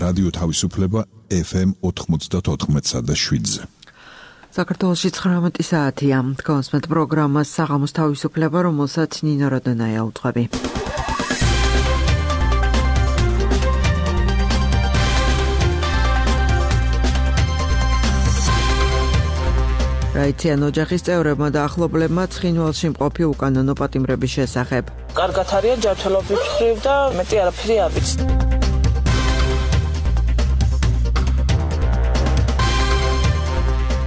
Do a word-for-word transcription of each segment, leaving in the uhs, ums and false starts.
რადიო თავისუფლება ეფ ემ ოთხმოცდაოთხ და შვიდზე. საქართველოში ცხრამეტი საათია. თქვენს მეტ პროგრამას საღამოს თავისუფლება, რომელსაც ნინო როდონაია უძღვები. რაიციან ოჯახის წევრებმა და ახლობლებმა ცხინვალში მყოფი უკანონო პატიმრების შესახებ. კარგად არიან ჯანმრთელობის მხრივ და მეტი არაფერი აბიცთ.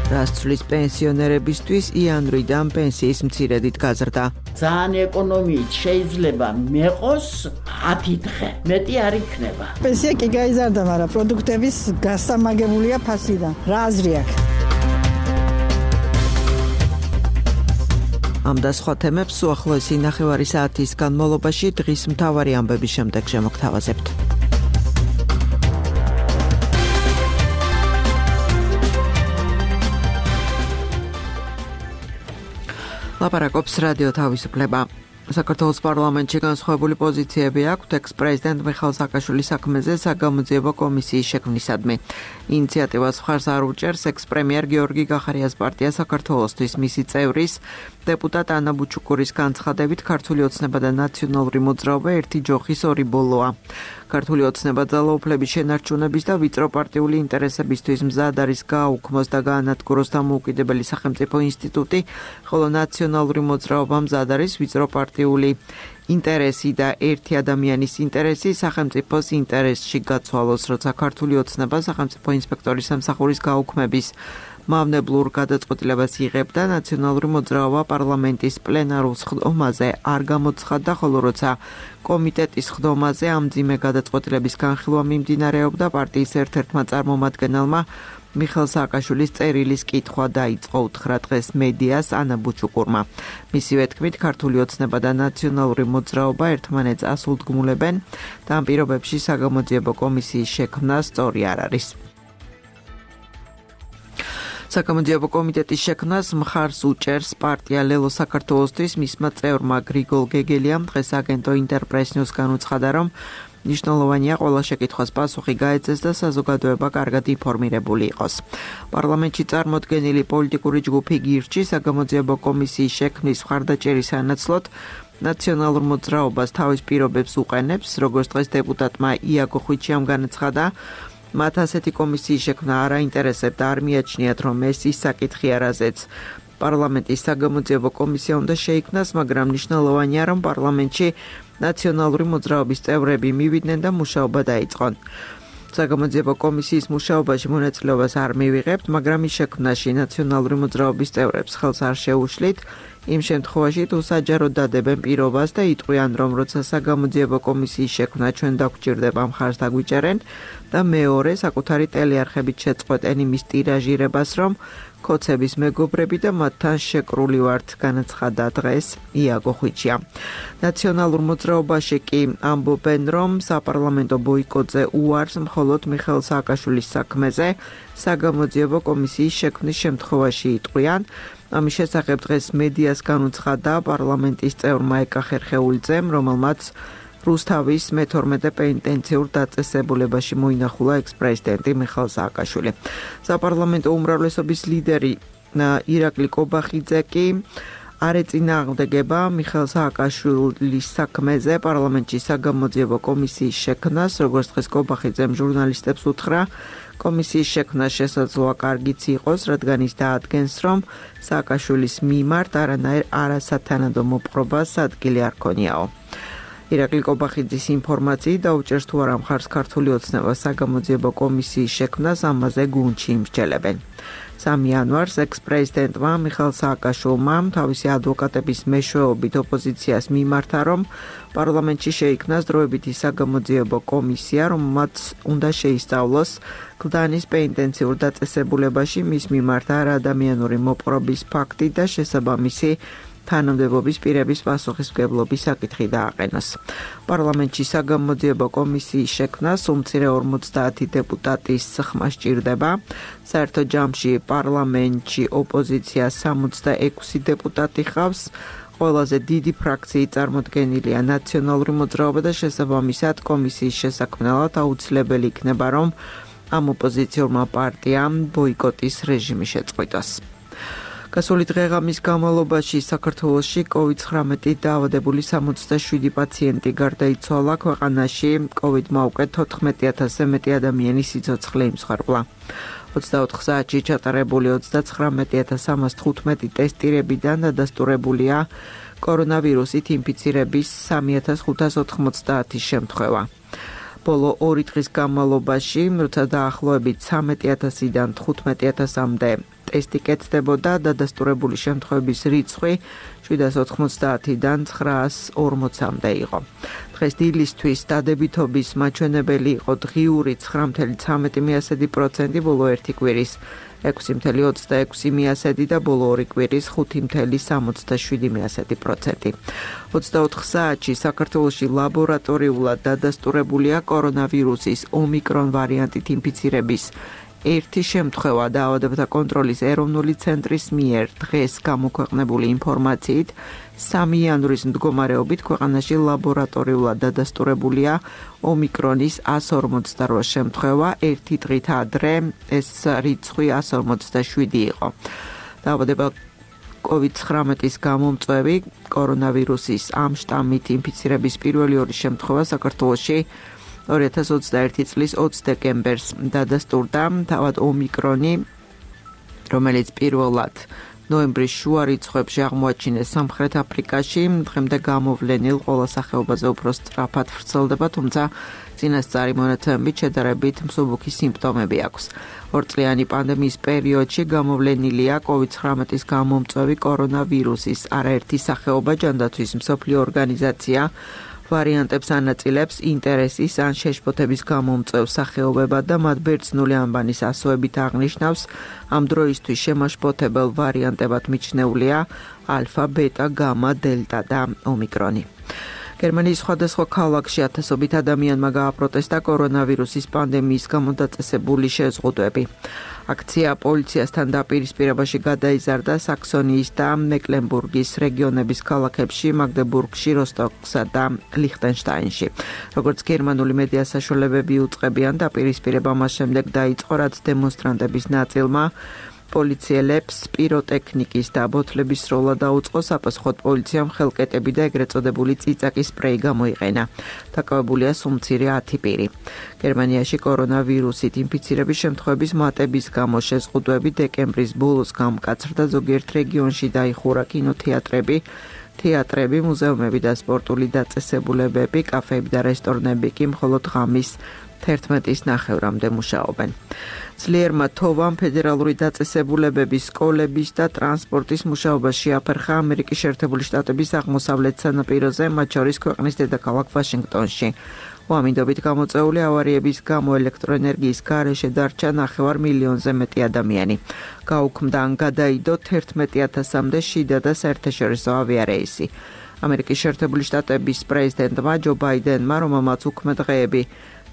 რას ცვლის პენსიონერებისთვის იანვრიდან პენსიის მცირედით გაზრდა. ძალიან ეკონომიით შეიძლება მეყოს ათი დღე, მეტი არ იქნება. პენსია კი გაიზარდა, მაგრამ პროდუქტების გასამაგებულია ფასიდან. რა აზრი აქვს? ამ და სხვა თემებს უახლოესი ნახევარი საათის განმავლობაში დღის მთავარი ამბების შემდეგ შემოგთავაზებთ. ლაპარაკობს რადიო თავისუფლება. საქართველოს პარლამენტში განსხვავებული პოზიციები აქვს ექს-პრეზიდენტ მიხეილ სააკაშვილის საქმეზე საგამოძიებო კომისიის შექმნისადმი. ინიციატივას მხარს არ უჭერს ექს-პრემიერ გიორგი გახარიას პარტია საქართველოსთვის. მისი წევრის დეპუტატ ანა ბუჩუკურის განცხადებით ქართული ოცნება და ნაციონალური მოძრაობა ერთი ჯოხის ორი ბოლოა. ქართული ოცნება ძალაუფლების შენარჩუნების და ვიწრო პარტიული ინტერესებისთვის მზად არის გააუქმოს და გაანადგუროს დამოუკიდებელი სახელმწიფო ინსტიტუტი, ხოლო ნაციონალური მოძრაობა მზად არის ვიწრო პარტიული ინტერესი და ერთი ადამიანის ინტერესი სახელმწიფოს ინტერესში გაცვალოს, როცა ქართული ოცნება სახელმწიფო ინსპექტორის სამსახურის გაუქმების მავნებლურ გადაწყვეტილებას იღებდა, ნაციონალური მოძრაობა პარლამენტის პლენარულ სხდომაზე არ გამოცხადდა, ხოლო როცა კომიტეტის სხდომაზე ამ მძიმე გადაწყვეტილების განხილვა მიმდინარეობდა, პარტიის ერთ-ერთმა წარმომადგენელმა მიხეილ სააკაშვილის წერილის კითხვა დაიწყო უთხრა დღეს მედიას ანა ბუჩუკურმა. მისივე თქმით, ქართული ოცნება და ნაციონალური მოძრაობა ერთმანეთს ასულდგმულებენ და ამ პირობებში საგამოძიებო კომისიის შექმნა სწორი არ არის. საკამოძიებო კომიტეტის შექმნას მხარს უჭერს პარტია ლელო საქართველოსთვის. მისმა წევრმა გრიგოლ გეგელიამ დღეს აგენტო ინტერპრეს-ნიუს განუცხადა, რომ მნიშვნელოვანია ყველა შეკითხვას პასუხი გაეცეს და საზოგადოება კარგად ინფორმირებული იყოს. პარლამენტში წარმოდგენილი პოლიტიკური ჯგუფი გირჩი საგამოძიებო კომისიის შექმნის მხარდაჭერის სანაცვლოდ ნაციონალურ მოძრაობას თავის პირობებს უყენებს, როგორც დღეს დეპუტატმა იაგო ხვიჩიამ განაცხადა. მათ ასეთი კომისიის შექმნა არ აინტერესებდა, არ მიაჩნიათ, რომ ეს ის საკითხი არაზეც პარლამენტის საგამოძიებო კომისია უნდა შეიქმნას, მაგრამ მნიშვნელოვანია, რომ პარლამენტში ნაციონალური მოძრაობის წევრები მივიდნენ და მუშაობა დაიწყონ. საგამოძიებო კომისიის მუშაობაში მონაწილეობას არ მივიღებთ, მაგრამ ის შექმნაში ნაციონალური მოძრაობის წევრებს ხელს არ შეუშლით. იმ შემთხვევაში თუ საჯაროდ დადებენ პირობას და იტყვიან, რომ როცა საგამოძიებო კომისიის შექმნა ჩვენ დაგვჭირდება მხარს დაგვიჭერენ და მეორე საკუთარი ტელეარხებით შეწყვეტენ იმის ტირაჟირებას, რომ ქოცების მეგობრები და მათთან შეკრული ვართ, განაცხადა დღეს იაგო ხვიჩია. ნაციონალურ მოძრაობაში კი ამბობენ, რომ საპარლამენტო ბოიკოტზე უარს მხოლოდ მიხეილ სააკაშვილის საქმეზე საგამოძიებო კომისიის შექმნის შემთხვევაში იტყვიან. ამის შესახებ დღეს მედიას განუცხადა პარლამენტის წევრმა ეკა ხერხეულიძემ, რომელმაც რუსთავის მეთორმეტე პენიტენციურ დაწესებულებაში მოინახულა ექს-პრეზიდენტი მიხეილ სააკაშვილი. საპარლამენტო უმრავლესობის ლიდერი ირაკლი კობახიძე კი არ ეწინააღმდეგება მიხეილ სააკაშვილის საქმეზე პარლამენტში საგამოძიებო კომისიის შექმნას, როგორც დღეს კობახიძემ ჟურნალისტებს უთხრა. კომისიის შექმნა შესაძლოა კარგიც იყოს, რადგან ის დაადგენს, რომ სააკაშვილის მიმართ არანაირ არასათანადო მოპყრობას ადგილი არ ქონიაო. ირაკლი კობახიძის ინფორმაციით დაუჭერს თუ არა მხარს ქართული ოცნება საგამოძიებო კომისიის შექმნას, ამაზე გუნდში იმსჯელებენ. სამი იანვარს ექს-პრეზიდენტმა მიხეილ სააკაშვილმა თავისი ადვოკატების მეშვეობით ოპოზიციას მიმართა, რომ პარლამენტში შეიქმნას დროებითი საგამოძიებო კომისია, რომელმაც უნდა შეისწავლოს კლდანის პენიტენციურ დაწესებულებაში მის მიმართ არაადამიანური მოპყრობის ფაქტი და შესაბამისი თანამდებობის პირების პასუხისმგებლობის საკითხი დააყენოს. პარლამენტში საგამოძიებო კომისიის შექმნას უმცირე ორმოცდაათი დეპუტატის ხმა სჭირდება. საერთო ჯამში პარლამენტში ოპოზიცია სამოცდაექვსი დეპუტატი ხავს. ყველაზე დიდი ფრაქციის წარმოდგენილია ნაციონალური მოძრაობა და შესაბამისად კომისიის შესაქმნელად აუცილებელი იქნება, რომ ამ ოპოზიციურმა პარტიამ ბოიკოტის რეჟიმი შეწყვიტოს. გასული დღეღამის განმავლობაში საქართველოში კოვიდ ცხრამეტით დაავადებული სამოცდაშვიდი პაციენტი გარდაიცვალა. ქვეყანაში კოვიდმა უკვე თოთხმეტი ათასზე მეტი ადამიანი სიცოცხლე იმსხვრებლა. ოცდაოთხ საათში ჩატარებული ოცდაცხრამეტი ათას სამას თხუთმეტი ტესტირებიდან დადასტურებულია კორონავირუსით ინფიცირების სამი ათას ხუთას ოთხმოცდაათი შემთხვევა. ბოლო ორი დღის განმავლობაში, როცა დაახლოებით ცხრამეტი ათასიდან თხუთმეტი ათასამდე ტესტი კეთდებოდა, დადასტურებული შემთხვევების რიცხვი შვიდას ოთხმოცდაათიდან ცხრაას ორმოცამდე იყო. დღეს დილისთვის დადებითობის მაჩვენებელი იყო დღიური ცხრა ფاصლე ცხრამეტი პროცენტი, ბოლო ერთი კვირის ექვსი ფاصლე ოცდაექვსი პროცენტი და ბოლო ორი კვირის ხუთი ფاصლე სამოცდაშვიდი პროცენტი. ოცდაოთხ საათში საქართველოში ლაბორატორიულად დადასტურებულია კორონავირუსის ომიკრონ ვარიანტით ინფიცირების ერთი შემთხვევა. დაავადებათა კონტროლის ეროვნული ცენტრის მიერ დღეს გამოქვეყნებული ინფორმაციით სამი იანვრის მდგომარეობით ქვეყანაში ლაბორატორიულად დადასტურებულია ომიკრონის εκατს ორმოცდაოთხ შემთხვევა. ერთი დღით ადრე ეს რიცხვი εκατს ორმოცდაშვიდი იყო. დაავადება კოვიდ ცხრამეტის გამომწვევი კორონავირუსის ამ შტამით ინფიცირების პირველი ორი შემთხვევა საქართველოში ორი ათას ოცდაერთი წლის ოცი დეკემბერს დადასტურდა. თავად ომიკრონი, რომელიც პირველად ნოემბრის შუა რიცხვებში აღმოაჩინეს სამხრეთ აფრიკაში, დღემდე გამოვლენილ ყველა სახეობაზე უფრო სწრაფად ვრცელდება, თუმცა წინასწარი მონაცემებით შედარებით მსუბუქი სიმპტომები აქვს. ორწლიანი პანდემიის პერიოდში გამოვლენილია კოვიდ ცხრამეტის გამომწვევი კორონავირუსის არაერთი სახეობა. ჯანდაცვის მსოფლიო ორგანიზაცია ვარიანტებს ანაწილებს ინტერესის ან შეშფოთების გამომწვევ სახეობებად და მათ ბერძნული ანბანის ასოებით აღნიშნავს. ამ დროისთვის შემაშფოთებელ ვარიანტებად მიჩნეულია ალფა, ბეტა, გამა, დელტა და ომიკრონი. გერმანიის სხვადასხვა ქალაქში ათასობით ადამიანმა გააპროტესტა კორონავირუსის პანდემიის გამო დაწესებული შეზღუდვები. აქცია პოლიციასთან დაპირისპირებაში გადაიზარდა საქსონიის და მეკლენბურგის რეგიონების ქალაქებში, მაგდებურგში, როსტოკსა და ლიხტენშტაინში. როგორც გერმანული მედია საშუალებები უწყებიან, დაპირისპირება მას შემდეგ დაიწყო, რაც დემონსტრანტების ნაწილმა პოლიციელებს პიროტექნიკის და ბოთლების სროლა დაუწყო. საპასუხოდ პოლიციამ ხელკეტები და ეგრეთ წოდებული წიწაკის სპრეი გამოიყენა. დაკავებულია სულ ათი პირი. გერმანიაში კორონავირუსით ინფიცირების შემთხვევების მატების გამო შეზღუდვები დეკემბრის ბოლოს გამკაცრდა. ზოგიერთ რეგიონში დაიხურა კინოთეატრები, თეატრები, მუზეუმები და სპორტული დაწესებულებები, კაფეები და რესტორნები კი მხოლოდ ღამის თერთმეტის ნახევრამდე მუშაობენ. ძლიერმა თოვამ ფედერალური დაწესებულებების, სკოლების და ტრანსპორტის მუშაობა შეაფერხა ამერიკის შეერთებული შტატების აღმოსავლეთ სანაპიროზე, მათ შორის ქვეყნის დედაქალაქ ვაშინგტონში. უამინდობით გამოწვეული ავარიების გამო ელექტროენერგიის გარეშე დარჩა ნახევარ მილიონზე მეტი ადამიანი. გაუქმდა ან გადაიდო თერთმეტი ათასამდე შიდა და საერთაშორისო ავიარეისი. ამერიკის შეერთებული შტატების პრეზიდენტმა ჯო ბაიდენმა, რომელმაც უქმე დღეები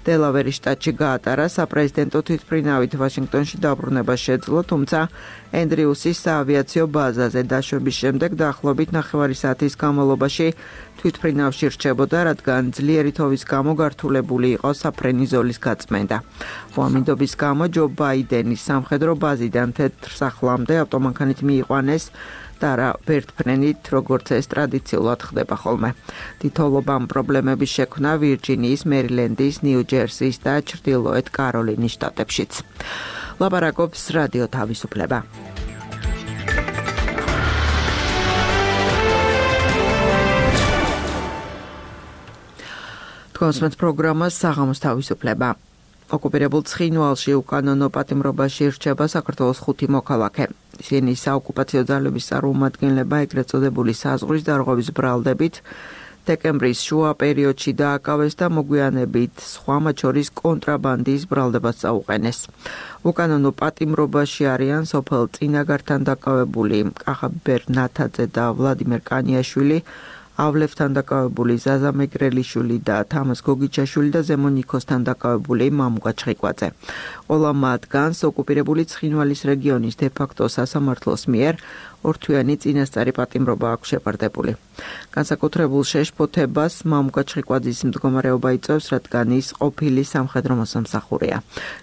დელავერის შტატში გაატარა, საპრეზიდენტო თვითმფრინავით ვაშინგტონში დაბრუნება შეძლო, თუმცა ენდრიუსის საავიაციო ბაზაზე დაშვების შემდეგ დაახლოებით ნახევარი საათის განმავლობაში თვითმფრინავში რჩებოდა, რადგან ძლიერი თოვის გამო გართულებული იყო საფრენი ზოლის გაწმენდა. უამინდობის გამო ჯო ბაიდენის სამხედრო ბაზიდან თეთრსახლამდე ავტომანქანით მიიყვანეს და რა ვერტფრენით, როგორც ეს ტრადიციულად ხდება ხოლმე. თითოეულობამ პრობლემების შექმნა ვირჯინიის, მერილენდის, ნიუ-ჯერსის და ჩრდილოეთ კაროლინის შტატებშიც. ლაპარაკობს რადიო თავისუფლება. თქვენს პროგრამას საღამოს თავისუფლება. ოკუპირებულ ცხინვალში უკანონო პატიმრობაში რჩება საქართველოს ხუთი მოქალაქე. ისინი საოკუპაციო ძალების წარმომადგენლება ეგრეთ წოდებული საზღვრის დარღვევის ბრალდებით დეკემბრის შუა პერიოდში დააკავეს და მოგვიანებით სხვა მათ შორის კონტრაბანდის ბრალდებას წაუყენეს. უკანონო პატიმრობაში არიან სოფელ წინაგართან დაკავებული კახაბერ ნათაძე და ვლადიმერ კანიაშვილი, ავლევთან დაკავებული ზაზა მეგრელიშვილი და თამაზ გოგიჩაშვილი და ზემო ნიქოსთან დაკავებული მამუკა ჩხიკვაძე. ყველა მათგანს ოკუპირებული ცხინვალის რეგიონის დე-ფაქტო სასამართლოს მიერ ორთვიანი წინასწარი პატიმრობა აქვს შეპარდებული. განსაკუთრებულ შეშფოთებას მამუკა ჩხიკვაძის მდგომარეობა იწვევს, რადგან ის ყოფილი სამხედრო მოსამსახურეა.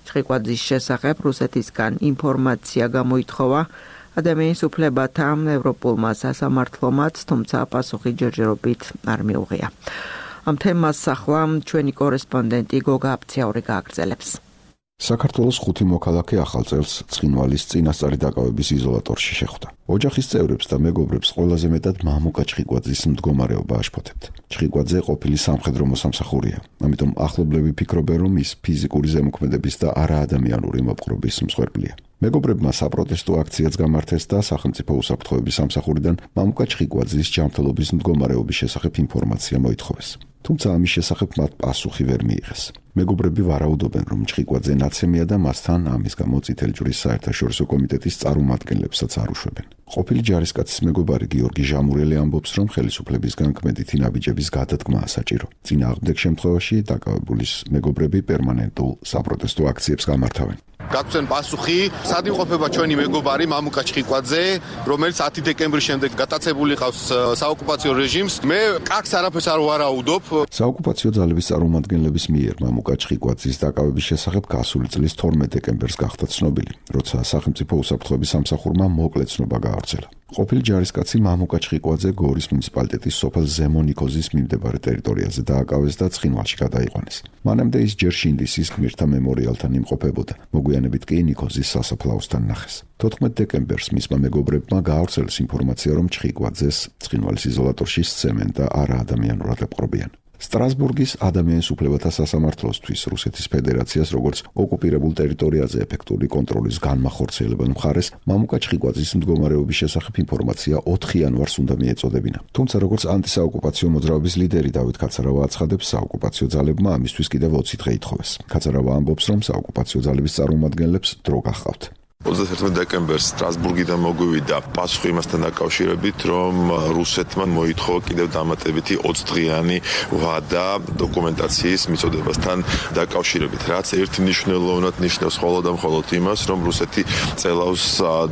ჩხიკვაძის შესახებ რუსეთისგან ინფორმაცია გამოითხოვა ადამიანის უფლებათა ევროპულმა სასამართლომაც, თუმცა პასუხი ჯერჯერობით არ მიუღია. ამ თემას ახლა ჩვენი კორესპონდენტი გოგა აფციაური გააგრძელებს. საქართველოს ხუთი მოქალაქე ახალ წელს ცხინვალის წინასწარი დაკავების იზოლატორში შეხვდა. ოჯახის წევრებს და მეგობრებს ყველაზე მეტად მამუკა ჩხიკვაძის მდგომარეობა აშფოთებთ. ჩხიკვაძე ყოფილი სამხედრო მოსამსახურეა, ამიტომ ახლობლები ფიქრობენ, რომ ის ფიზიკური ზემოქმედების და არაადამიანური მოპყრობის მსხვერპლია. მეგობრებმა საპროტესტო აქციაც გამართეს და სახელმწიფო უსაფრთხოების სამსახურიდან მამუკა ჩხიკვაძის ჯანმრთელობის მდგომარეობის შესახებ ინფორმაცია მოითხოვეს. თუმცა ამის შესახებ მათ პასუხი ვერ მიიღეს. მეგობრები ვარაუდობენ, რომ ჩხიკვაძე ნაცემია და მასთან ამის გამო წითელი ჯვრის საერთაშორისო კომიტეტის წარმომადგენლებსაც არ უშვებენ. ყოფილი ჯარისკაცის მეგობარი გიორგი ჟამურელი ამბობს, რომ ხელისუფლებისგან კმედითი ნაბიჯების გადადგმაა საჭირო. წინააღმდეგ შემთხვევაში დაკავებულის მეგობრები პერმანენტულ საპროტესტო აქციებს გამართავენ. გაგცენ პასუხი, სად იმყოფება ჩვენი მეგობარი მამუკა ჩხიკვაძე, რომელიც ათი დეკემბრის შემდეგ გატაცებული ყავს საოკუპაციო რეჟიმს. მე კაკს არაფერს არ ვარაუდობ. საოკუპაციო ძალების წარმომადგენლების მიერ მამუკა ჩხიკვაძის დაკავების შესახებ გასული წლის თორმეტ დეკემბერს გახდა ცნობილი, როცა სახელმწიფო უსაფრთხოების სამსახურმა მოკლე ცნობა გაავრცელა. ყოფილი ჯარისკაცი მამუკა ჩხიკვაძე გორის მუნიციპალიტეტის სოფელ ზემო ნიქოზის მიმდებარე ტერიტორიაზე დააკავეს და ცხინვალში გადაიყვანეს. მანამდე ის ჯერ შინდისის გმირთა მემორიალთან იმყოფებოდა, მოგვიანებით კი ნიქოზის სასაფლაოსთან ნახეს. თოთხმეტ დეკემბერს მისმა მეგობრებმა გაავრცელეს ინფორმაცია, რომ ჩხიკვაძეს ცხინვალის იზოლატორში სცემენ და არაადამიანურად ეპყრობიან. სტრასბურგის ადამიანის უფლებათა სასამართლოსთვის რუსეთის ფედერაციას როგორც ოკუპირებულ ტერიტორიაზე ეფექტური კონტროლის განმახორციელებელ მხარეს მამუკა ჩხიკვაძის მდგომარეობის შესახებ ინფორმაცია ოთხი იანვარს უნდა მიეწოდებინა. თუმცა როგორც ანტისაოკუპაციო მოძრაობის ლიდერი დავით კაცარავა აცხადებს, საოკუპაციო ძალებმა ამისთვის კიდევ ოცი დღე ითხოვეს. კაცარავა ამბობს, რომ საოკუპაციო ძალების წარმომადგენლებს დრო გახავთ. ოცდაერთმეტ დეკემბერს სტრასბურგიდან მოგვივიდა პასუხი იმასთან დაკავშირებით, რომ რუსეთმა მოითხოვა კიდევ დამატებითი ოცი დღიანი ვადა დოკუმენტაციის მიწოდებასთან დაკავშირებით, რაც ერთმნიშვნელოვნად ნიშნავს მხოლოდ და მხოლოდ იმას, რომ რუსეთი წელავს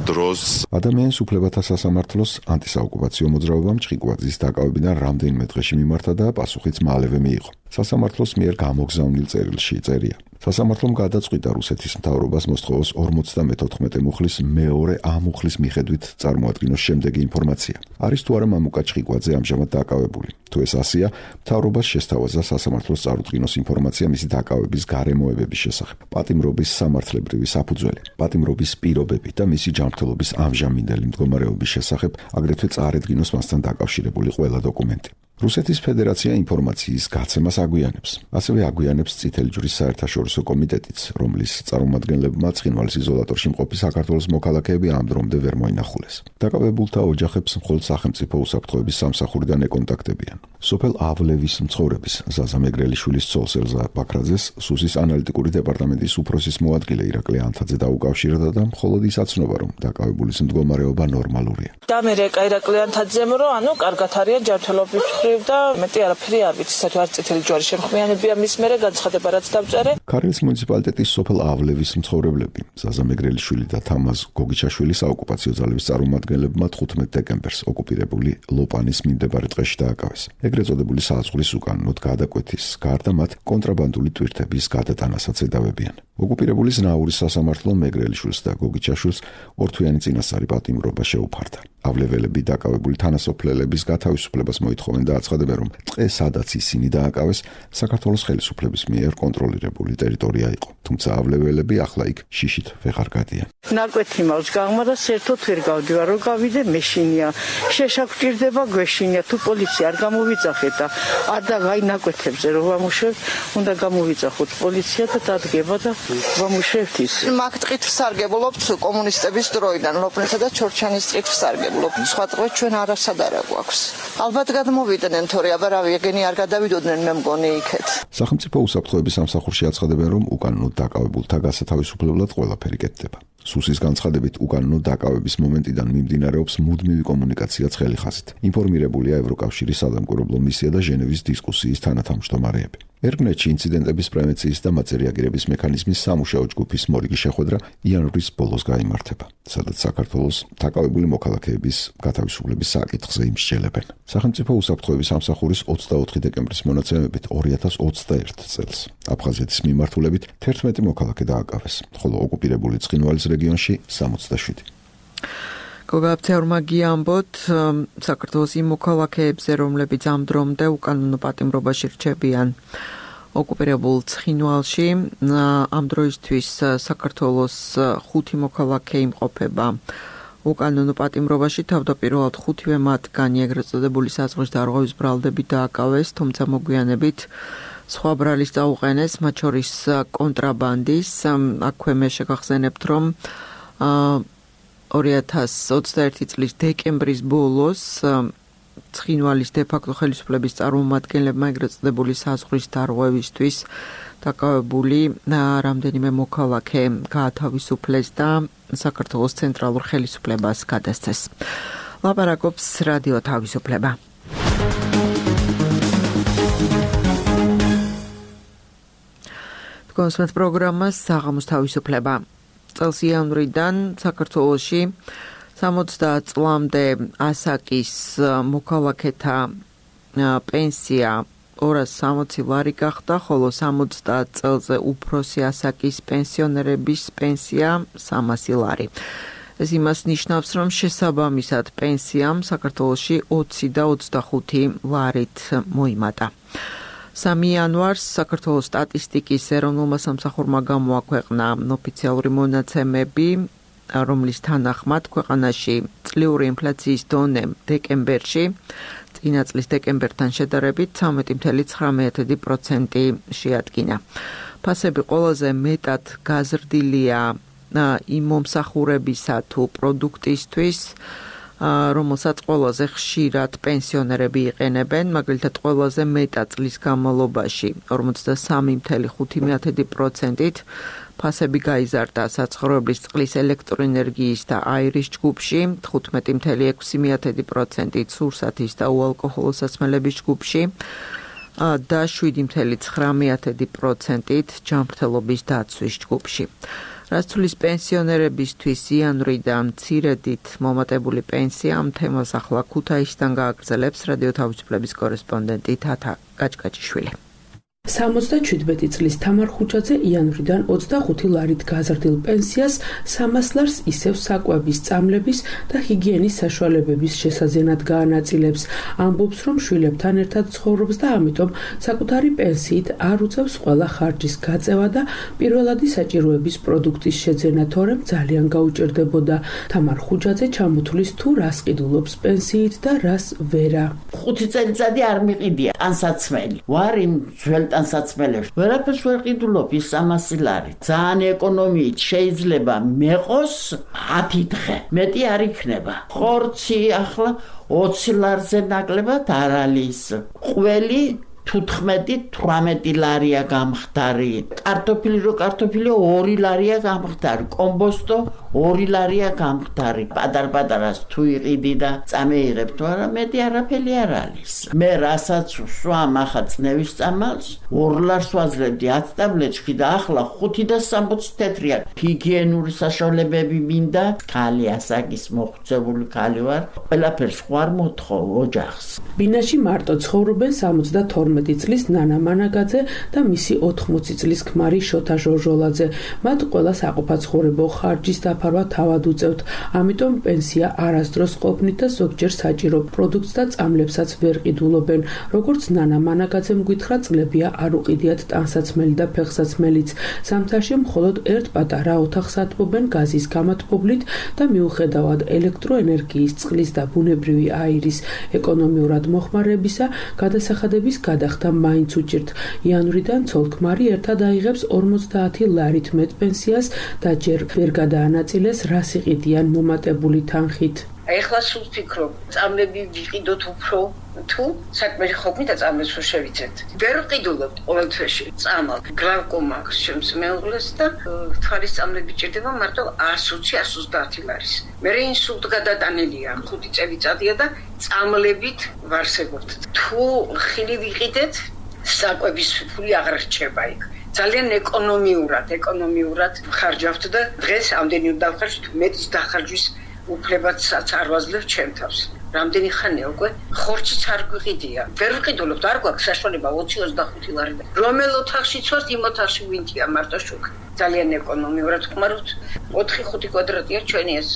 დროს. ადამიანის უფლებათა სასამართლოს ანტისაოკუპაციო მოძრაობამ ჩხიკვაძის დაკავებიდან რამდენიმე დღეში მიმართა და პასუხიც მალევე მიიღო. სასამართლოს მიერ გამოგზავნილ წერილში წერია. სასამართლომ გადაწყვიტა რუსეთის მთავრობას მოსთხოვოს ორმოცდამოთხმეტე მუხლის მეორე ამუხლის მიხედვით წარმოადგინოს შემდეგი ინფორმაცია. არის თუ არა მამუკა ჩხიკვაძე ამჟამად დაკავებული. თუ ეს ასია, მთავრობას შესთავაზა სასამართლოს წარუდგინოს ინფორმაცია მისი დაკავების გარემოებების შესახებ, პატიმრობის სამართლებრივი საფუძველი, პატიმრობის პირობები და მისი ჯანმრთელობის ამჟამინდელი მდგომარეობის შესახებ, აგრეთვე წარედგინოს მასთან დაკავშირებული ყველა დოკუმენტი. რუსეთის ფედერაცია ინფორმაციის გაცემას აგვიანებს. ასევე აგვიანებს წითელი ჯვრის საერთაშორისო კომიტეტიც, რომლის წარმომადგენლებმა ცხინვალის იზოლატორში მყოფი საქართველოს მოქალაქეები ამ დრომდე ვერ მოინახულეს. დაკავებულთა ოჯახებს მხოლოდ სახელმწიფო უსაფრთხოების სამსახურიდან ეკონტაქტებიან. სოფელ ავლევის მცხოვრების ზაზა მეგრელიშვილის ცოლს ელზა ბაქრაძეს სუსის ანალიტიკური დეპარტამენტის უფროსის მოადგილე ირაკლი ანთაძე დაუკავშირდა და მხოლოდ ის აცნობა, რომ დაკავებულის მდგომარეობა ნორმალურია. და მე ირაკლი ანთაძემ რომ ანუ კარგად არის ჯანმრთელობის და მეტი არაფერი არ ვიცი, საერთოდ არ წითელი ჯვარი შემხმიანებია მის მერე განცხადება რაც დავწერე. ქარელის მუნიციპალიტეტის სოფელ ავლევის მცხოვრებლები ზაზა მეგრელიშვილი და თამაზ გოგიჩაშვილი საოკუპაციო ძალების წარმომადგენლებმა თხუთმეტ დეკემბერს ოკუპირებული ლოპანის მიმდებარე ტყეში დააკავეს. ეგრეთ წოდებული საზღვრის უკანონოდ გადაკვეთის გარდა მათ კონტრაბანდული ტვირთების გადატანასაც ედავებიან. ოკუპირებული ზნაურის სასამართლო მეგრელიშვილს და გოგიჩაშვილს ორთვიანი წინასწარი პატიმრობა შეუფარდა. ავლეველები დაკავებული თანასოფლელების გათავისუფლებას მოითხოვენ და აცხადებენ, რომ ტყე, სადაც ისინი დააკავეს, საქართველოს ხელისუფლების მიერ კონტროლირებული ტერიტორია იყო. თუმცა ავლეველები ახლა იქ შიშით ვეღარ გადიან. ნაკვეთი მაქვს გაღმა და საერთოდ ვერ გავდივარ, რომ გავიდე მეშინია. შეშაგვჭირდება გვეშინია, თუ პოლიცია არ გამოვიძახეთ და არ და აი ნაკვეთებზე რომ ვამუშავებ, უნდა გამოვიძახოთ პოლიცია და დადგება და ვამუშავებთ ის. მაგ ტყით ვსარგებლობთ კომუნისტების დროიდან, ლოპნესა და ჩორჩანის ტყით ვსარგებლობთ. ვმარაგებლობ. სხვა დღეს ჩვენ არასად არ გვაქვს. ალბათ გადმოვიდნენ, თორე აბა რავი, ეგენი არ გადავიდოდნენ მე მგონი იქეთ. სახელმწიფო უსაფრთხოების სამსახურში აცხადებენ, რომ უკანონოდ დაკავებულთა გასათავისუფლებლად ყველაფერი კეთდება. სუსის განცხადებით, უკანონოდ დაკავების მომენტიდან მიმდინარეობს მუდმივი კომუნიკაცია ცხელი ხაზით. ინფორმირებულია ევროკავშირის სადამკვირვებლო მისია და ჟენევის დისკუსიის თანათავმჯდომარეები. ერგნეთში ინციდენტების პრევენციის და მათზე რეაგირების მექანიზმის სამუშაო ჯგუფის მორიგი შეხვედრა იანვრის ბოლოს გაიმართება, სადაც საქართველოს დაკავებული მოქალაქეების გათავისუფლების საკითხზე იმსჯელებენ. სახელმწიფო უსაფრთხოების სამსახურის ოცდაოთხი დეკემბრის მონაცემებით ორი ათას ოცდაერთი წელს აფხაზეთის მიმართულებით თერთმეტი მოქალაქე დააკავეს, ხოლო ოკუპირებული ცხინვალის რეგიონში სამოცდაშვიდი. გოგაბცეორმა გიამბოთ საქართველოს იმ მოქალაქეებზე, რომლებიც ამ დრომდე უკანონო პატიმრობაში რჩებიან ოკუპირებულ ცხინვალში, ამ დროისთვის საქართველოს ხუთი მოქალაქე იმყოფება უკანონო პატიმრობაში, თავდაპირველად ხუთივე მათგანი ეგრეთ წოდებული საზღვრის დარღვევის ბრალდებით დააკავეს, თუმცა მოგვიანებით სხვა ბრალის წაუყენეს, მათ შორის კონტრაბანდის. აქვე მე შეგახსენებთ, რომ ორი ათას ოცდაერთი წლის დეკემბრის ბოლოს ცხინვალის დე-ფაქტო ხელისუფლების წარმომადგენლებმა ეგრეთ წოდებული საზღვრის დარღვევისთვის დაკავებული რამდენიმე მოქალაქე გაათავისუფლეს და საქართველოს ცენტრალურ ხელისუფლებას გადასცეს. ლაპარაკობს რადიო თავისუფლება. კონსმეთ პროგრამას საღამოს თავისუფლება. წელს იანვრიდან საქართველოში სამოცდაათ წლამდე ასაკის მოქალაქეთა პენსია ორას სამოცი ლარი გახდა, ხოლო სამოცდაათ წელზე უფროსი ასაკის პენსიონერების პენსია სამასი ლარი. ეს იმას ნიშნავს, რომ შესაბამისად პენსიამ საქართველოში ოცი და ოცდახუთი ლარით მოიმატა. სამი იანვარს საქართველოს სტატისტიკის ეროვნულმა სამსახურმა გამოაქვეყნა ოფიციალური მონაცემები, რომლის თანახმად ქვეყანაში წლიური ინფლაციის დონე დეკემბერში წინა წლის დეკემბერთან შედარებით ცხრამეტი წამლ ცხრამეტი პროცენტი შეადგინა. ფასები ყველაზე მეტად გაზრდილია იმ მომსახურებისა თუ პროდუქტისთვის, რომელსაც ყველაზე ხშირად პენსიონერები იყენებენ, მაგალითად ყველაზე მეტად წლის განმავლობაში ორმოცდასამი წამლ ხუთი პროცენტით ფასები გაიზარდა საცხოვრებლის წყლის, ელექტროენერგიის და აირის ჯგუფში, თხუთმეტი წამლ ექვსი პროცენტით სურსათის და უალკოჰოლო საწმელების ჯგუფში და შვიდი წამლ ცხრამეტი პროცენტით ჯანმრთელობის დაცვის ჯგუფში. რაც თulis პენსიონერებისთვის იანვრიდან მცირედით მომატებული პენსია ამ თემას ახლა ქუთაისიდან გააგრძელებს რადიო თავისუფლების კორესპონდენტი თათა გაჭკაჭიშვილი. სამოცდაჩვიდმეტი წლის თამარ ხუჩაძე იანვრიდან ოცდახუთი ლარით გაზრდილ პენსიას სამას ლარს ისევ საკვების, წამლების და ჰიგიენის საშუალებების შესაძენად გაანაწილებს. ამბობს, რომ შვილებთან ერთად ცხოვრობს და ამიტომ საკუთარი პენსიით არ უწევს ყველა ხარჯის გაწევა და პირველადი საჭიროების პროდუქტის შეძენა, თორემ ძალიან გაუჭირდებოდა. თამარ ხუჩაძე ჩამოთვლის თუ რას ყიდულობს პენსიით და რას ვერა. ხუთი წელიწადი არ მიყიდია ტანსაცმელი. ვარ იმ ძველ ტანსაცმელებში. ვერაფერს ვერ ყიდულობ ის სამასი ლარი. ძალიან ეკონომიით შეიძლება მეყოს ათი დღე. მეტი არ იქნება. ხორცი ახლა ოცი ლარზე ნაკლებად არ არის. ყველი თუთხმეტი თვრამეტი ლარია გამხდარი. კარტოფილი რო კარტოფილი ორი ლარია გამხდარი. კომბოსტო ორი ლარია გამხდარი. პატარ-პატარას თუ იყიდი და წამეიღებ, თუ არა მეტი არაფერი არ არის. მე რასაც ვსვამ ახლა წნევის წამალს, ორ ლარს ვაძლევდი ათი ტაბლეტში და ახლა ხუთი და სამოცი თეთრია. ჰიგიენური საშუალებები მინდა, ქალი ასაკის მოხუცებული ქალი ვარ. ყველაფერს ხوار მოთხოვ ოჯახს. ბინაში მარტო ცხოვრობენ სამოცდათორმეტი წლის ნანა მანაგაძე და მისი ოთხმოცი წლის ქმარი შოთა ჟორჟოლაძე. მათ ყველა საყოფაცხოვრებო ხარჯის დაფარვა თავად უწევთ. ამიტომ პენსია არასდროს ყოფნით და ზოგჯერ საჭირო პროდუქტს და წამლებსაც ვერ ყიდულობენ. როგორც ნანა მანაგაძემ გითხრა, წლებია არ უყიდიათ ტანსაცმელი და ფეხსაცმელიც. ზამთარში მხოლოდ ერთ პატარა ოთახს ატყობენ გაზის გამათბობლით და მიუხედავად ელექტროენერგიის, წყლის და ბუნებრივი აირის ეკონომიურად მოხმარებისა, გადასახადების გადახდა მაინც უჭირთ. იანვრიდან ცოლ-ქმარი ერთად აიღებს ორმოცდაათი ლარით მეტ პენსიას და ჯერ ვერ გადაანაწილეს, რას იყიდიან მომატებული თანხით. ეხლა სულ ვფიქრობ, წამლები ვიყიდოთ უფრო თუ საქმე ხობნი და წამლებს რო შევიცეთ. ვერ ვყიდულობთ ყოველ თვეში წამალ, გლავკომა აქვს ჩემს მეუღლეს და თვალის წამლები ჭირდება მარტო ას ოცი ას ოცდაათი ლარის. მე ინსულტ გადატანილია ხუთი წელიწადია და წამლებით ვარსებობთ. თუ ხილი ვიყიდეთ, საკვების ფული აღარ რჩება იქ. ძალიან ეკონომიურად, ეკონომიურად ხარჯავთ და დღეს ამდენი უნდა დავხარჯოთ, მეტის დახარჯვის უფლებაცაც არ ვაძლევ ჩემ თავს. რამდენი ხანია უკვე ხორციც არ გვიყიდია. ვერ ვყიდულობთ, არ გვაქვს საშუალება ოცი ოცდახუთი ლარი. რომელ ოთახშიც ვართ, იმ ოთახში ვინტია მარტო შუქ. ძალიან ეკონომიურად ხმარობთ. ოთხი ხუთი კვადრატია ჩვენი ეს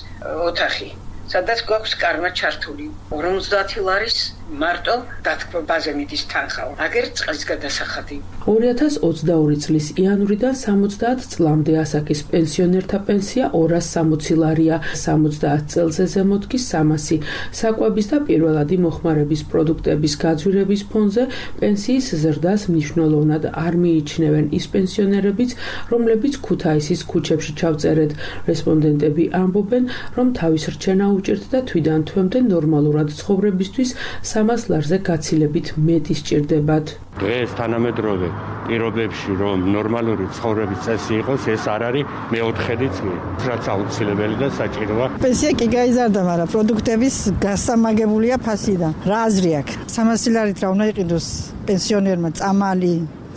ოთახი. სადაც გვაქვს კარმა ჩართული ორმოცდაათი ლარის მარტო დათქმაზე მიდის თანხა. აგერ წყლის გადასახადი. ორი ათას ოცდაორი წლის იანვრიდან სამოცდაათ წლამდე ასაკის პენსიონერთა პენსია ორას სამოცი ლარია, სამოცდაათ წელზე ზემოთ კი სამასი. საკვების და პირველადი მოხმარების პროდუქტების გაძვირების ფონზე პენსიის ზრდას მნიშვნელოვნად არ მიიჩნევენ ის პენსიონერებიც, რომლებიც ქუთაისის ქუჩებში ჩავწერეთ. რესპონდენტები ამბობენ, რომ თავის რჩენა უჭერთ და თვიდან თვემდე ნორმალურად ცხოვრებისთვის სამას ლარზე გაცილებით მეტი სჭირდებათ. დღეს თანამედროვე პირობებში რომ ნორმალური ცხოვრების წესი იყოს, ეს არ არის მეოთხედიც კი, რაც აუცილებელი და საჭიროა. პენსია კი გაიზარდა, მაგრამ პროდუქტების გასამაგებულია ფასიდან. რა აზრი აქვს? სამასი ლარით რა უნდა იყიდოს პენსიონერმა წამალი,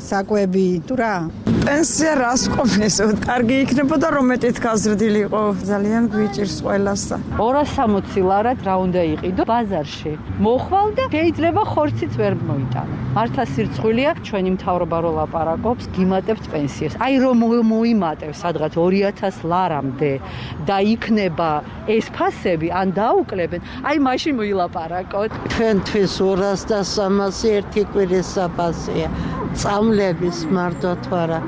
საკვები თუ რა? პენსია რას ყოფნისო? კარგი იქნებოდა რომ მეტით გაზრდილიყო. ძალიან გვიჭირს ყველას. ორას სამოცი ლარად რა უნდა იყიდო ბაზარში. მოხვალ და შეიძლება ხორციც ვერ მოიტანო. მართლა სირცხვილია ჩვენი მთავრობა რო ლაპარაკობს, გიმატებთ პენსიას. აი რომ მოიმატებს სადღაც ორი ათას ლარამდე და იქნება ეს ფასები, ან დაუკლებენ, აი მაშინ მოილაპარაკოთ. ჩვენთვის ორას და სამასი ერთი კვირის საფასია. წამლების მარტო თვარა.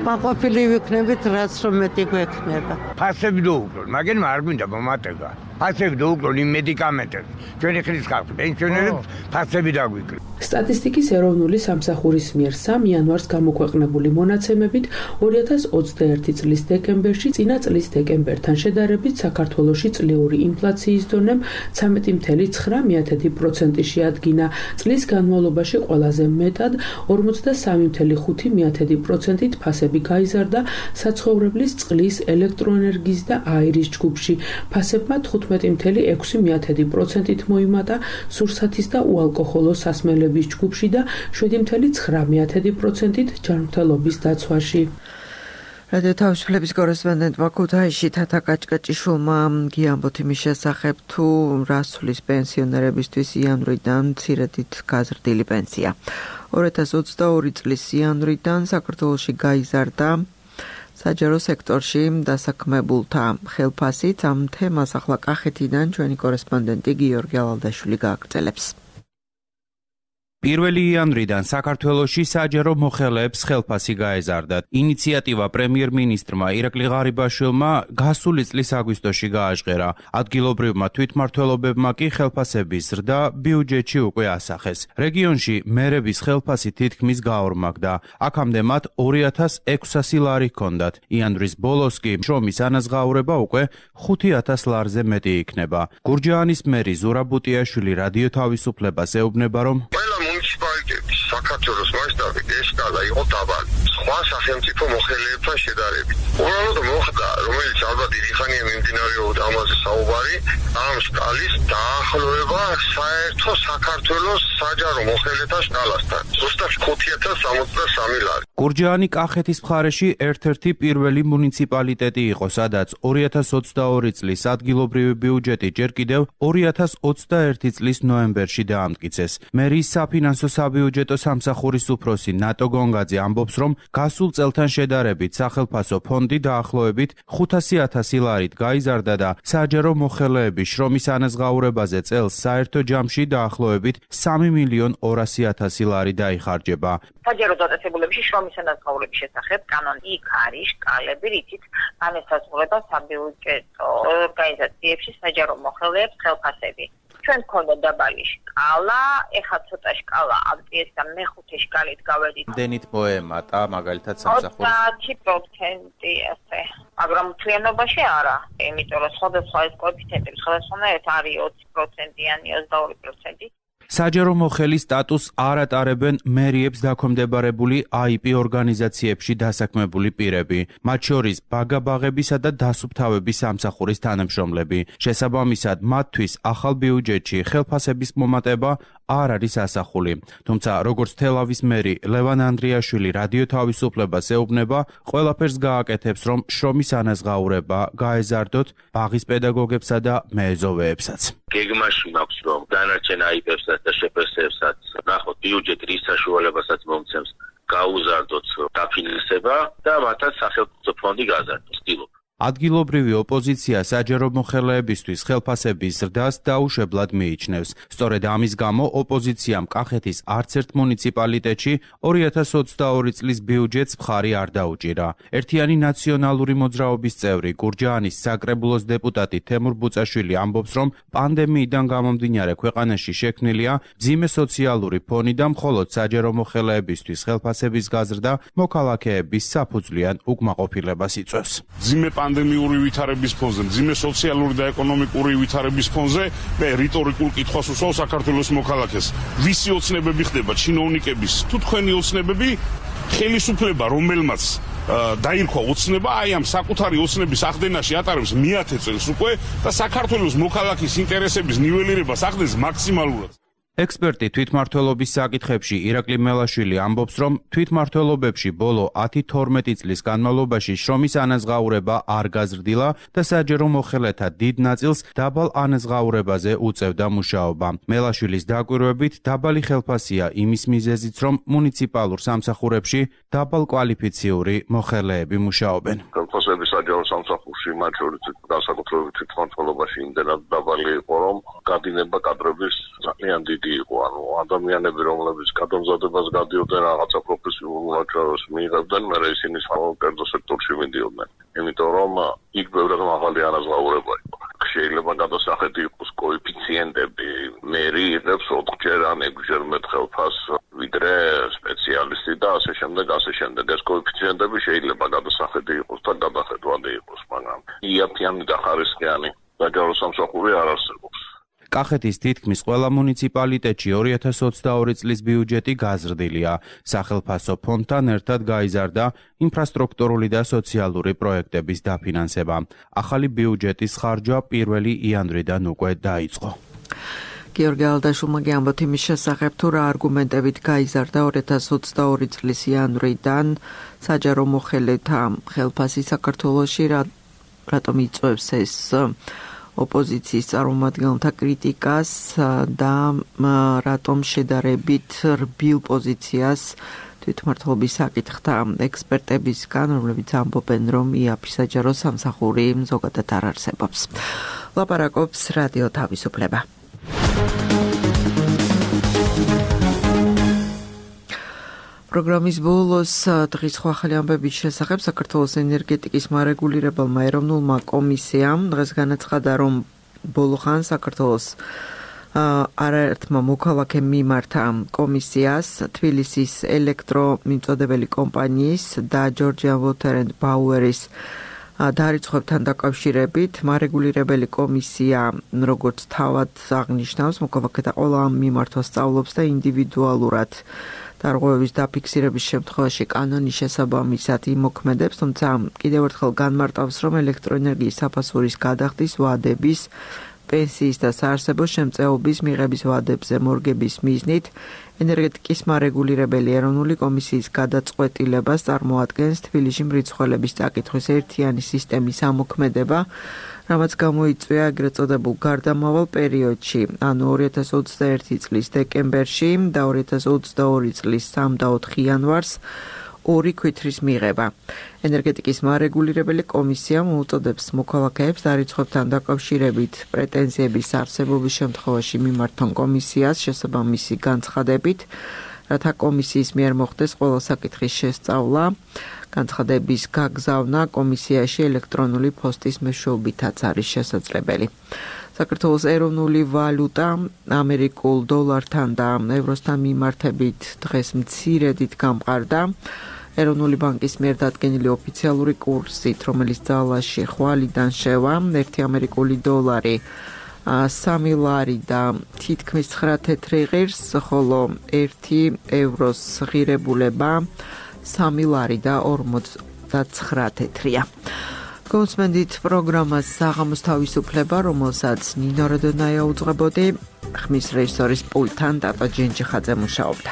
მაყოფილი ვიქნებით, რაც რომ მეტი გვექნება. ფასები დაუკლონ, მაგრამ არ გვინდა მომატება. ფასები დაუკლონ იმ მედიკამენტებს. ჩვენი ხრის ხალხი, პენსიონერებს ფასები დაგვიკლენ. სტატისტიკის ეროვნული სამსახურის მიერ სამი იანვარს გამოქვეყნებული მონაცემებით ორი ათას ოცდაერთი წლის დეკემბერში წინა წლის დეკემბერთან შედარებით საქართველოში წლიური ინფლაციის დონემ ცამეტი წელი ცხრა პროცენტი შეადგინა. წლის განმავლობაში ყველაზე მეტად ორმოცდასამი წელი ხუთი პროცენტით ფასები გაიზარდა საცხოვრებლის წყლის, ელექტროენერგიის და აირის ჯგუფში. ფასებმა თხუთმეტი წელი ექვსი პროცენტით მოიმატა სურსათის და უალკოჰოლო სასმელების ჯგუფში და შვიდი წელი ცხრა პროცენტით ჯანმრთელობის დაცვაში. რადიო თავისუფლების კორესპონდენტმა ქუთაისში თათა კაჭკაჭიშვილმა გიამბოთ იმის შესახებ, თუ რა სulis პენსიონერებისთვის იანვრიდან მცირედით გაზრდილი პენსია. ორი ათას ოცდაორი წლის იანვრიდან საქართველოში გაიზარდა საჯარო სექტორში დასაქმებულთა ხელფასით. ამ თემას ახლა კახეთიდან ჩვენი კორესპონდენტი გიორგი ალალდაშვილი გააგრძელებს. პირველი იანვრიდან საქართველოში საჯარო მოხელეებს ხელფასი გაეზარდათ. ინიციატივა პრემიერ-მინისტრმა ირაკლი ღარიბაშვილმა გასული წლის აგვისტოში გააჟღერა. ადგილობრივმა თვითმმართველობებმა კი ხელფასების ზრდა ბიუჯეტში უკვე ასახეს. რეგიონში მერების ხელფასი თითქმის გაორმაგდა. აქამდე მათ ორი ათას ექვსასი ლარი ჰქონდათ. იანვრის ბოლოს კი შრომის ანაზღაურება უკვე ხუთი ათას ლარზე მეტი იქნება. გურჯაანის მერი ზურაბ ბუტიაშვილი რადიო თავისუფლებას ეუბნება, რომ საქართველოს მასშტაბით ეს სკალა იყო დაბალი. სხვა სახელმწიფო მოხელეებთან შედარებით. უბრალოდ მოხდა, რომელიც ალბათ დიდი ხანია მიმდინარეობდა ამაზე საუბარი, ამ სკალის დაახლოება საერთო საქართველოს საჯარო მოხელეთა სკალასთან. ზუსტად ხუთი ათას სამოცდასამი ლარი. გურჯაანი კახეთის მხარეში ერთ-ერთი პირველი მუნიციპალიტეტი იყო, სადაც ორი ათას ოცდაორი წლის ადგილობრივი ბიუჯეტი ჯერ კიდევ ორი ათას ოცდაერთი წლის ნოემბერში დაამტკიცეს. მერის საფინანსო საბიუჯეტო სამსახურის უფროსი ნატო გონგაძე ამბობს, რომ გასულ წელთან შედარებით სახელფასო ფონდი დაახლოებით ხუთასი ათასი ლარით გაიზარდა და საჯარო მოხელეების შრომის ანაზღაურებაზე წელს საერთო ჯამში დაახლოებით სამი მილიონ ორასი ათასი ლარი დაიხარჯება. საჯარო დაწესებულებებში შრომის ანაზღაურების შესახებ კანონი იქ არის შკალები, რითიც განესაზღვრება საბიუჯეტო ორგანიზაციებში საჯარო მოხელეებს ხელფასები. ჩვენ გქონდა დაბალი შკალა, ეხლა ცოტა შკალა ავწიეს და მეხუთე შკალით გავედით. დენით მოემატა მაგალითად სამსახურის ოცდაათი პროცენტი ასე. მაგრამ მთლიანობაში არა, იმიტომ რომ სხვადასხვა ეს კოეფიციენტები სხვადასხვანაირად არის ოცი პროცენტიანი, ოცდაორი პროცენტი. საჯარო მოხელის სტატუსს არ ატარებენ მერიებს დაქვემდებარებული აი პი ორგანიზაციებში დასაქმებული პირები, მათ შორის ბაგაბაღებისა და დასუფთავების სამსახურის თანამშრომლები. შესაბამისად, მათთვის ახალ ბიუჯეტში ხელფასების მომატება არ არის ასახული. თუმცა, როგორც თელავის მერი ლევან ანდრიაშვილი რადიო თავისუფლებას ეუბნება, ყველაფერს გააკეთებს, რომ შრომის ანაზღაურება გაეზარდოთ ბაღის პედაგოგებსა და მეეზოვეებსაც. გეგმაში მაქვს, რომ დანარჩენ აი პებსაც და შეფასებსაც ნახოთ ბიუჯეტი რის საშუალებასაც მომცემს გაუზარდოთ დაფინანსება და მათაც სახელმწიფო ფონდი გააზარდოს. ვთქვი ადგილობრივი ოპოზიცია საჯარო მოხელეებისთვის ხელფასების ზრდას დაუშვებლად მიიჩნევს. სწორედ ამის გამო ოპოზიციამ კახეთის არც ერთ მუნიციპალიტეტში ორი ათას ოცდაორი წლის ბიუჯეტს მხარი არ დაუჭირა. ერთიანი ნაციონალური მოძრაობის წევრი გურჯაანის საკრებულოს დეპუტატი თემურ ბუწაშვილი ამბობს, რომ პანდემიიდან გამომდინარე ქვეყანაში შექმნილია მძიმე სოციალური ფონი და მხოლოდ საჯარო მოხელეებისთვის ხელფასების გაზრდა მოქალაქეების საფუძვლიან უკმაყოფილებას იწვევს. პანდემიური ვითარების ფონზე, მძიმე სოციალური და ეკონომიკური ვითარების ფონზე მე რიტორიკულ კითხვას უსვავ საქართველოს მოქალაქეს. ვისი ოცნებები ხდება ჩინოვნიკების თუ თქვენი ოცნებები? ხელისუფლება, რომელმაც დაირქვა ოცნება, აი ამ საკუთარი ოცნების ახდენაში ატარებს მეათე წელს უკვე და საქართველოს მოქალაქის ინტერესების ნიველირებას ახდენს მაქსიმალურად. ექსპერტი თვითმმართველობის საკითხებში ირაკლი მელაშვილი ამბობს, რომ თვითმმართველობებში ბოლო ათი თორმეტი წლის განმავლობაში შრომის ანაზღაურება არ გაზრდილა და საჯარო მოხელეთა დიდ ნაწილს დაბალ ანაზღაურებაზე უწევდა მუშაობა. მელაშვილის დაკვირვებით დაბალი ხელფასია იმის მიზეზიც, რომ მუნიციპალურ სამსახურებში დაბალ კვალიფიციური მოხელეები მუშაობენ. ხელფასები საჯარო სამსახურში მათ შორის განსაკუთრებით თვითმმართველობაში იმდენად დაბალი იყო, რომ გადინება კადრების ძალიან დიდი იყო, ანუ ადამიანები, რომლებიც გადამზადებას გადიოდნენ რაღაცა პროფესიულ მუშაობას მიიღებდნენ, მერე ისინი საკერძო სექტორში მიდიოდნენ. იმიტომ რომ იქ ბევრად მაღალი ანაზღაურება იყო. შეიძლება გადასახედი იყოს კოეფიციენტები, მერი იღებს ოთხჯერ ან ექვსჯერ მეტ ხელფასს ვიდრე სპეციალისტი და ასე შემდეგ, ასე შემდეგ. ეს კოეფიციენტები შეიძლება გადასახედი იყოს და გადახედვადი იყოს, მაგრამ იაფიანი და ხარისხიანი საჯარო სამსახური არ არსებობს. კახეთის თითქმის ყველა მუნიციპალიტეტში ორი ათას ოცდაორი წლის ბიუჯეტი გაზრდილია. სახელფასო ფონდთან ერთად გაიზარდა ინფრასტრუქტურული და სოციალური პროექტების დაფინანსება. ახალი ბიუჯეტის ხარჯვა პირველი იანვრიდან უკვე დაიწყო. გიორგი ალდაშულმა გიამბოთ იმის შესახებ, თუ რა არგუმენტებით გაიზარდა ორი ათას ოცდაორი წლის იანვრიდან საჯარო მოხელეთა ხელფასი საქართველოში, რატომ იწვევს ეს ოპოზიციის წარმომადგენელთა კრიტიკას და რატომ შედარებით რბილ პოზიციას თვითმმართველობის საკითხთა ექსპერტებისგან, რომლებიც ამბობენ, რომ იაფი საჯარო სამსახური ზოგადად არ არსებობს. ლაპარაკობს რადიო თავისუფლება. პროგრამის ბოლოს დღის სხვა ახალი ამბების შესახებ საქართველოს ენერგეტიკის მარეგულირებელმა ეროვნულმა კომისიამ დღეს განაცხადა, რომ ბოლო ხან საქართველოს არაერთმა მოქალაქემ მიმართა კომისიას თბილისის ელექტრომიმწოდებელი კომპანიის და Georgian Water and Power-ის დარიცხვებთან დაკავშირებით. მარეგულირებელი კომისია, როგორც თავად აღნიშნავს, მოქალაქეთა ყველა მიმართვას სწავლობს და ინდივიდუალურად დარღვევების დაფიქსირების შემთხვევაში კანონის შესაბამისად იმოქმედებს, თუმცა კიდევ ერთხელ განმარტავს, რომ ელექტროენერგიის საფასურის გადახდის ვადების, პენსიის და საარსებო შემწეობის მიღების ვადებზე მორგების მიზნით ენერგეტიკის მარეგულირებელი ეროვნული კომისიის გადაწყვეტილებას წარმოადგენს თბილისში მრიცხველების წაკითხვის ერთიანი სისტემის ამოქმედება, რამაც გამოიწვია ეგრეთ წოდებულ გარდამავალ პერიოდში, ანუ ორი ათას ოცდაერთი წლის დეკემბერში და ორი ათას ოცდაორი წლის სამი და ოთხი იანვარს ორი ქვითრის მიღება. ენერგეტიკის მარეგულირებელი კომისია მოუწოდებს მოქალაქეებს დარიცხვებთან დაკავშირებით პრეტენზიების არსებობის შემთხვევაში მიმართონ კომისიას შესაბამისი განცხადებით, რათა კომისიის მიერ მოხდეს ყველა საკითხის შესწავლა. განცხადების გაგზავნა კომისიაში ელექტრონული ფოსტის მეშვეობითაც არის შესაძლებელი. საქართველოს ეროვნული ვალუტა ამერიკულ დოლართან და ევროსთან მიმართებით დღეს მცირედით გამყარდა. ეროვნული ბანკის მიერ დადგენილი ოფიციალური კურსით, რომელიც ძალაში ხვალიდან შევა, ერთი ამერიკული დოლარი სამი ლარი და თითქმის ცხრა თეთრი ღირს, ხოლო ერთი ევროს ღირებულება სამი ლარი და ორმოცდაცხრა თეთრია. გონსმენდით პროგრამას საღამოს თავისუფლება, რომელსაც ნინო როდონაია უძღვებოდი, ხმის რეჟისორის პულტთან დატო ჯენჯიხაძე მუშაობდა.